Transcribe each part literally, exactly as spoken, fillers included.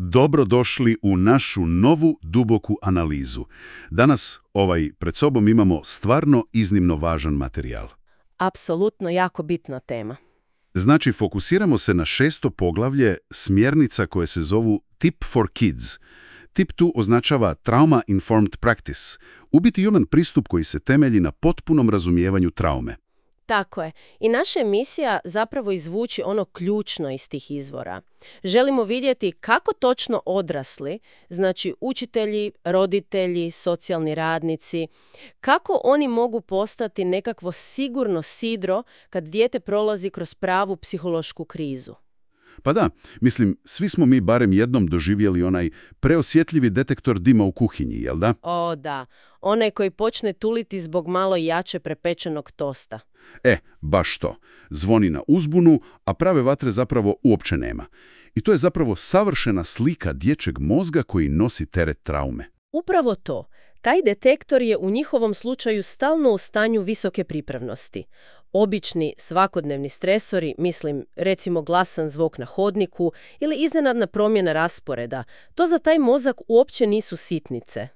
Dobrodošli u našu novu duboku analizu. Danas ovaj pred sobom imamo stvarno iznimno važan materijal. Apsolutno jako bitna tema. Znači, fokusiramo se na šesto poglavlje smjernica koje se zovu Tip for Kids. Tip tu označava Trauma Informed Practice, u biti human pristup koji se temelji na potpunom razumijevanju traume. Tako je. I naša emisija zapravo izvuči ono ključno iz tih izvora. Želimo vidjeti kako točno odrasli, znači učitelji, roditelji, socijalni radnici, kako oni mogu postati nekakvo sigurno sidro kad dijete prolazi kroz pravu psihološku krizu. Pa da, mislim, svi smo mi barem jednom doživjeli onaj preosjetljivi detektor dima u kuhinji, jel da? O da, onaj koji počne tuliti zbog malo jače prepečenog tosta. E, baš to. Zvoni na uzbunu, a prave vatre zapravo uopće nema. I to je zapravo savršena slika dječjeg mozga koji nosi teret traume. Upravo to. Taj detektor je u njihovom slučaju stalno u stanju visoke pripravnosti. Obični, svakodnevni stresori, mislim, recimo glasan zvuk na hodniku ili iznenadna promjena rasporeda, to za taj mozak uopće nisu sitnice.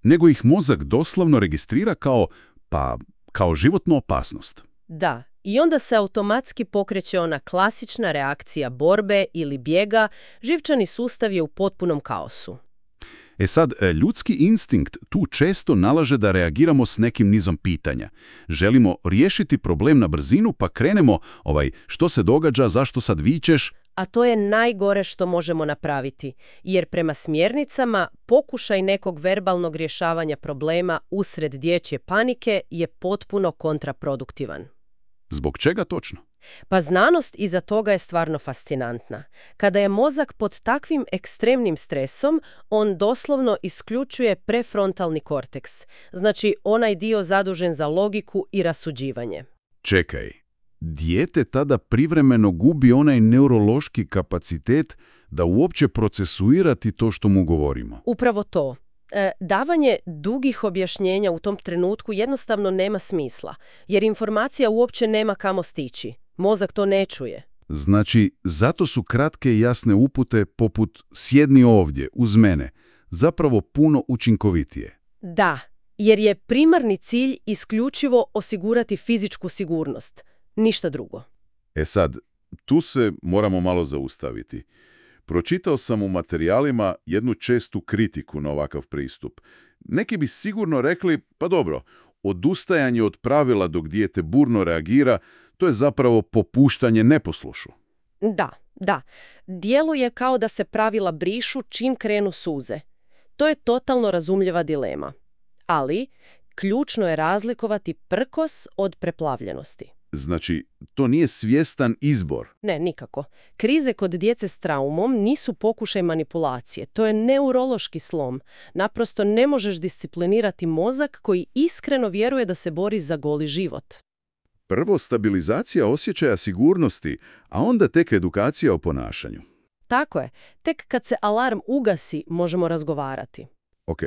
Nego ih mozak doslovno registrira kao, pa, kao životnu opasnost. Da, i onda se automatski pokreće ona klasična reakcija borbe ili bijega, živčani sustav je u potpunom kaosu. E sad, ljudski instinkt tu često nalaže da reagiramo s nekim nizom pitanja. Želimo riješiti problem na brzinu, pa krenemo, ovaj, što se događa, zašto sad vičeš? A to je najgore što možemo napraviti, jer prema smjernicama pokušaj nekog verbalnog rješavanja problema usred dječje panike je potpuno kontraproduktivan. Zbog čega točno? Pa znanost iza toga je stvarno fascinantna. Kada je mozak pod takvim ekstremnim stresom, on doslovno isključuje prefrontalni korteks, znači onaj dio zadužen za logiku i rasuđivanje. Čekaj, dijete tada privremeno gubi onaj neurološki kapacitet da uopće procesuirati to što mu govorimo. Upravo to. E, davanje dugih objašnjenja u tom trenutku jednostavno nema smisla, jer informacija uopće nema kamo stići. Mozak to ne čuje. Znači, zato su kratke i jasne upute poput sjedni ovdje, uz mene, zapravo puno učinkovitije. Da, jer je primarni cilj isključivo osigurati fizičku sigurnost, ništa drugo. E sad, tu se moramo malo zaustaviti. Pročitao sam u materijalima jednu čestu kritiku na ovakav pristup. Neki bi sigurno rekli, pa dobro, odustajanje od pravila dok dijete burno reagira, to je zapravo popuštanje neposlušu. Da, da. Djeluje kao da se pravila brišu čim krenu suze. To je totalno razumljiva dilema. Ali, ključno je razlikovati prkos od preplavljenosti. Znači, to nije svjestan izbor. Ne, nikako. Krize kod djece s traumom nisu pokušaj manipulacije. To je neurološki slom. Naprosto ne možeš disciplinirati mozak koji iskreno vjeruje da se bori za goli život. Prvo stabilizacija osjećaja sigurnosti, a onda tek edukacija o ponašanju. Tako je. Tek kad se alarm ugasi, možemo razgovarati. Ok,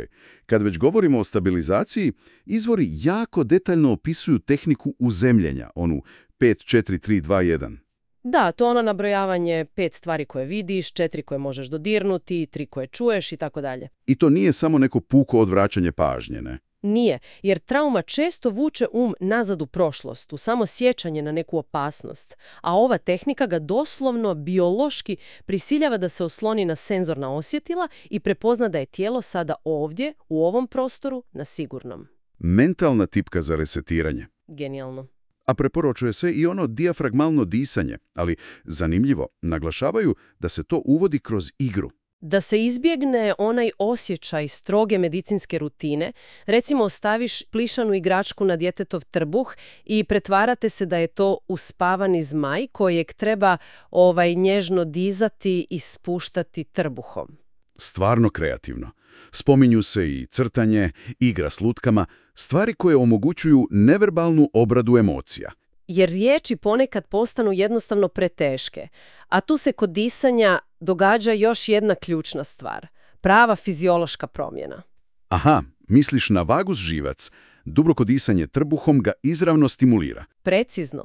kad već govorimo o stabilizaciji, izvori jako detaljno opisuju tehniku uzemljenja, onu pet, četiri, tri, dva, jedan. Da, to je ono nabrojavanje pet stvari koje vidiš, četiri koje možeš dodirnuti, tri koje čuješ i tako dalje. I to nije samo neko puko odvraćanje pažnje, ne? Nije, jer trauma često vuče um nazad u prošlost, u samo sjećanje na neku opasnost, a ova tehnika ga doslovno biološki prisiljava da se osloni na senzorna osjetila i prepozna da je tijelo sada ovdje, u ovom prostoru, na sigurnom. Mentalna tipka za resetiranje. Genijalno. A preporučuje se i ono dijafragmalno disanje, ali zanimljivo, naglašavaju da se to uvodi kroz igru. Da se izbjegne onaj osjećaj stroge medicinske rutine, recimo ostaviš plišanu igračku na djetetov trbuh i pretvarate se da je to uspavani zmaj kojeg treba ovaj nježno dizati i spuštati trbuhom. Stvarno kreativno. Spominju se i crtanje, igra s lutkama, stvari koje omogućuju neverbalnu obradu emocija. Jer riječi ponekad postanu jednostavno preteške, a tu se kod disanja događa još jedna ključna stvar, prava fiziološka promjena. Aha, misliš na vagus živac, duboko disanje trbuhom ga izravno stimulira. Precizno.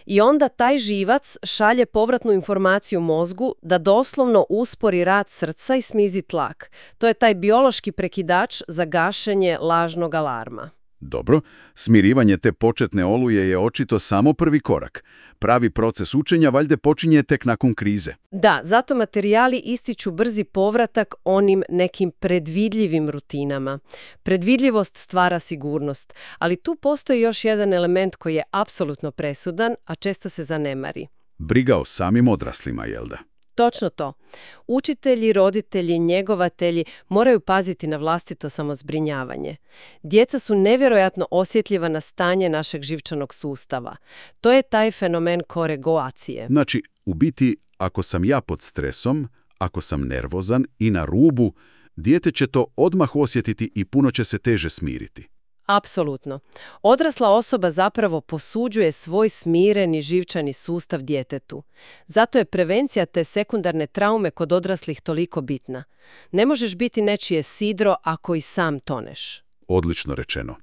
I onda taj živac šalje povratnu informaciju mozgu da doslovno uspori rad srca i smizi tlak. To je taj biološki prekidač za gašenje lažnog alarma. Dobro, smirivanje te početne oluje je očito samo prvi korak. Pravi proces učenja valjda počinje tek nakon krize. Da, zato materijali ističu brzi povratak onim nekim predvidljivim rutinama. Predvidljivost stvara sigurnost, ali tu postoji još jedan element koji je apsolutno presudan, a često se zanemari. Briga o samim odraslima, jel da? Točno to. Učitelji, roditelji, njegovatelji moraju paziti na vlastito samozbrinjavanje. Djeca su nevjerojatno osjetljiva na stanje našeg živčanog sustava. To je taj fenomen koregulacije. Znači, u biti, ako sam ja pod stresom, ako sam nervozan i na rubu, dijete će to odmah osjetiti i puno će se teže smiriti. Apsolutno. Odrasla osoba zapravo posuđuje svoj smireni živčani sustav djetetu. Zato je prevencija te sekundarne traume kod odraslih toliko bitna. Ne možeš biti nečije sidro ako i sam toneš. Odlično rečeno.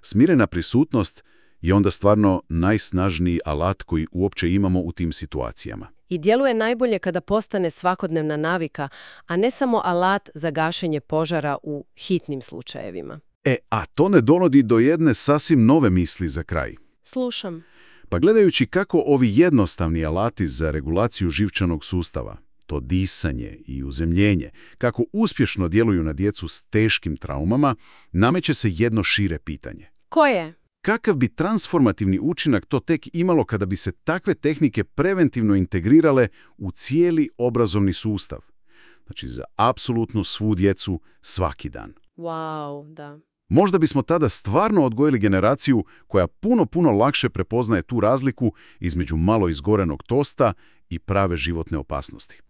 Smirena prisutnost je onda stvarno najsnažniji alat koji uopće imamo u tim situacijama. I djeluje najbolje kada postane svakodnevna navika, a ne samo alat za gašenje požara u hitnim slučajevima. E, a to ne dovodi do jedne sasvim nove misli za kraj. Slušam. Pa gledajući kako ovi jednostavni alati za regulaciju živčanog sustava, to disanje i uzemljenje, kako uspješno djeluju na djecu s teškim traumama, nameće se jedno šire pitanje. Koje? Kakav bi transformativni učinak to tek imalo kada bi se takve tehnike preventivno integrirale u cijeli obrazovni sustav? Znači za apsolutno svu djecu svaki dan. Wow, da. Možda bismo tada stvarno odgojili generaciju koja puno, puno lakše prepoznaje tu razliku između malo izgorenog tosta i prave životne opasnosti.